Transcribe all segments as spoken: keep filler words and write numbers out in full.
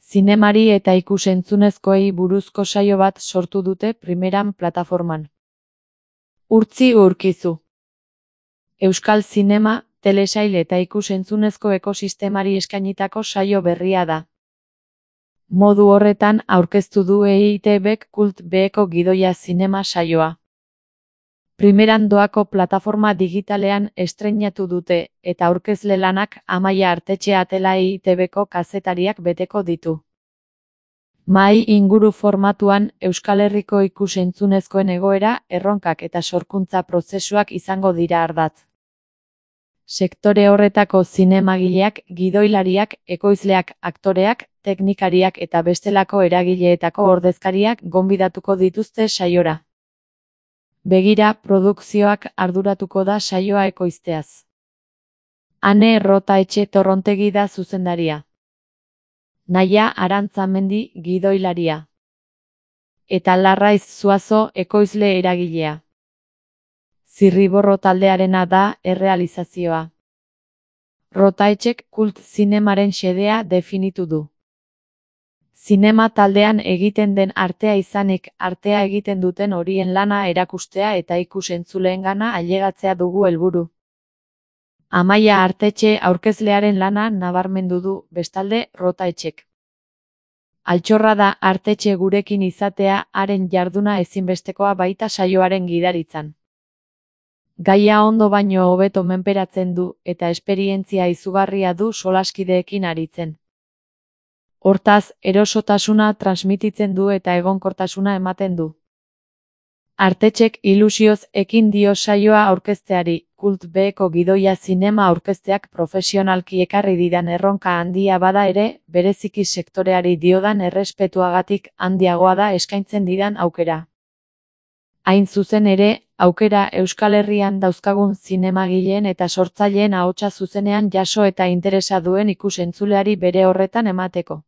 Zinemari eta ikus-entzunezkoei buruzko saio bat sortu dute Primeran plataforman. Urtzi Urkizu. Euskal zinema, telesail eta ikus-entzunezko ekosistemari eskainitako saio berria da. Modu horretan aurkeztu du E I T Bk Kult Beko Gidoia zinema saioa. Primeran doako plataforma digitalean estreinatu dute, eta aurkezle lanak Amaia Artetxe Atela E I T Bko kazetariak beteko ditu. Mahai inguru formatuan Euskal Herriko ikus-entzunezkoen egoera, erronkak eta sorkuntza prozesuak izango dira ardatz. Sektore horretako zinemagileak, gidoilariak, ekoizleak, aktoreak, teknikariak eta bestelako eragileetako ordezkariak gonbidatuko dituzte saiora. Begira produkzioak arduratuko da saioa ekoizteaz. Ane Errotaetxe Torrontegi da zuzendaria. Naia Arantzamendi gidoilaria. Eta Larraiz Zuazo ekoizle eragilea. Zirriborro taldearena da errealizazioa. Rotaetxek Kult zinemaren xedea definitu du. Zinema taldean egiten den artea izanik, artea egiten duten horien lana erakustea eta ikus-entzuleengana ailegatzea dugu helburu. Amaia Artetxe aurkezlearen lana nabarmendu du, bestalde, Rotaetxek. Altxorra da Artetxe gurekin izatea, haren jarduna ezinbestekoa baita saioaren gidaritzan. Gaia ondo baino hobeto menperatzen du, eta esperientzia izugarria du solaskideekin aritzen. Hortaz, erosotasuna transmititzen du eta egonkortasuna ematen du. Artetxek ilusioz ekin dio saioa aurkezteari, Kult Beko Gidoia zinema aurkezteak profesionalki ekarri didan erronka handia bada ere, bereziki sektoreari diodan errespetuagatik handiagoa da eskaintzen didan aukera. Hain zuzen ere, aukera Euskal Herrian dauzkagun zinemagileen eta sortzaileen ahotsa zuzenean jaso eta interesa duen ikus-entzuleari bere horretan emateko.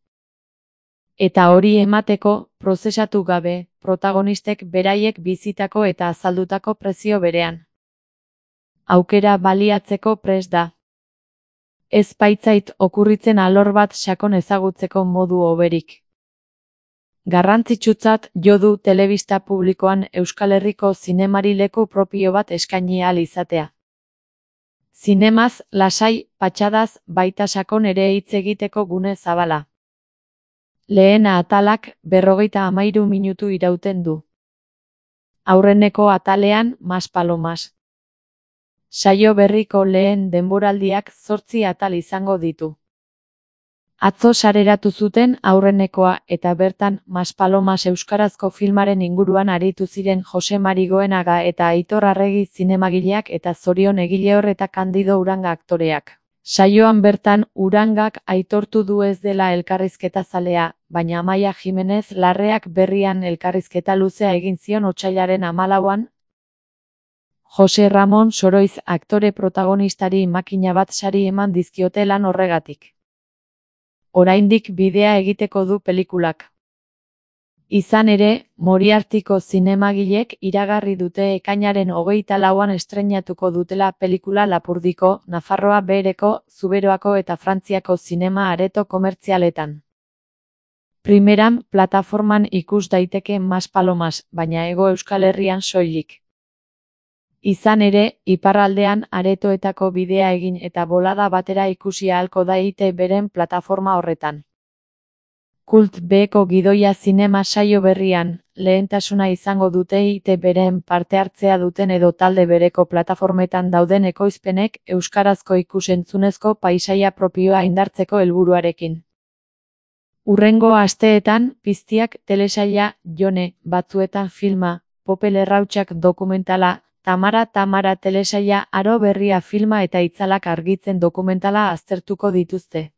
Eta hori emateko, prozesatu gabe, protagonistek beraiek bizitako eta azaldutako prezio berean. Aukera baliatzeko prest da. Ez baitzait okurritzen alor bat sakon ezagutzeko modu hoberik. Garrantzitsutzat jo du telebista publikoan Euskal Herriko zinemari leku propio bat eskaini ahal izatea. Zinemaz, lasai, patxadaz, baita sakon ere hitz egiteko gune zabala. Lehen atalak berrogeita hamairu minutu irauten du. Aurreneko atalean, Mas Palomas. Saio berriko lehen denboraldiak zortzi atal izango ditu. Atzo sareratu zuten aurrenekoa eta bertan Mas Palomas euskarazko filmaren inguruan aritu ziren Jose Mari Goenaga eta Aitor Arregi zinemagileak eta Zorion Egilehor eta Kandido Uranga aktoreak. Saioan bertan Urangak aitortu du ez dela elkarrizketa zalea, baina Amaia Jimenez Larreak berrian elkarrizketa luzea egin zion otsailaren hamalauan. Jose Ramon Soroiz aktore protagonistari makina bat sari eman dizkiote lan horregatik. Oraindik bidea egiteko du pelikulak. Izan ere, Moriartiko zinemagilek iragarri dute ekainaren hogeita lauan estreinatuko dutela pelikula Lapurdiko, Nafarroa Behereko, Zuberoako eta Frantziako zinema areto komertzialetan. Primeran plataforman ikus daiteke Mas Palomas, baina Hego Euskal Herrian soilik. Izan ere, iparraldean aretoetako bidea egin eta bolada batera ikusi ahalko da E I T Bren plataforma horretan. Kult Beko Gidoia zinema saio berrian, lehentasuna izango dute E I T Bren parte hartzea duten edo talde bereko plataformetan dauden ekoizpenek euskarazko ikus-entzunezko paisaia propioa indartzeko helburuarekin. Hurrengo asteetan, piztiak telesaila, Jone, batzuetan filma, Pope Lerrautsak dokumentala, Tamara Tamara telesaila Aro Berria filma eta Itzalak argitzen dokumentala aztertuko dituzte.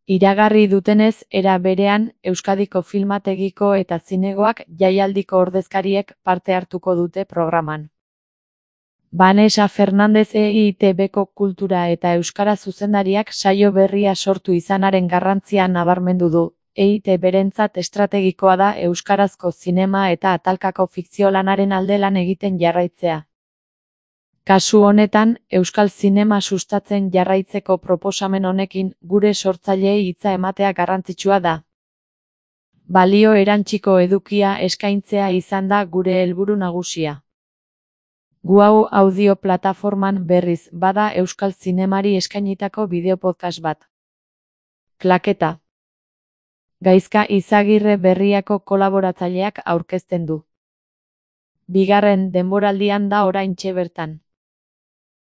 Iragarri dutenez, era berean, Euskadiko filmategiko eta zinegoak jaialdiko ordezkariek parte hartuko dute programan. Vanessa Fernandez E I T Bko kultura eta euskara zuzendariak saio berria sortu izanaren garrantzia nabarmendu du. E I T Berentzat estrategikoa da euskarazko zinema eta atalkako fikzio lanaren alde lan egiten jarraitzea. Kasu honetan, euskal zinema sustatzen jarraitzeko proposamen honekin gure sortzaileei hitza ematea garrantzitsua da. Balio erantsiko edukia eskaintzea izan da gure helburu nagusia. Gu hau audio plataforman berriz bada euskal zinemari eskainitako bideo podcast bat. Klaketa. Gaizka Izagirre Berriako kolaboratzaileak aurkezten du. Bigarren denboraldian da oraintxe bertan.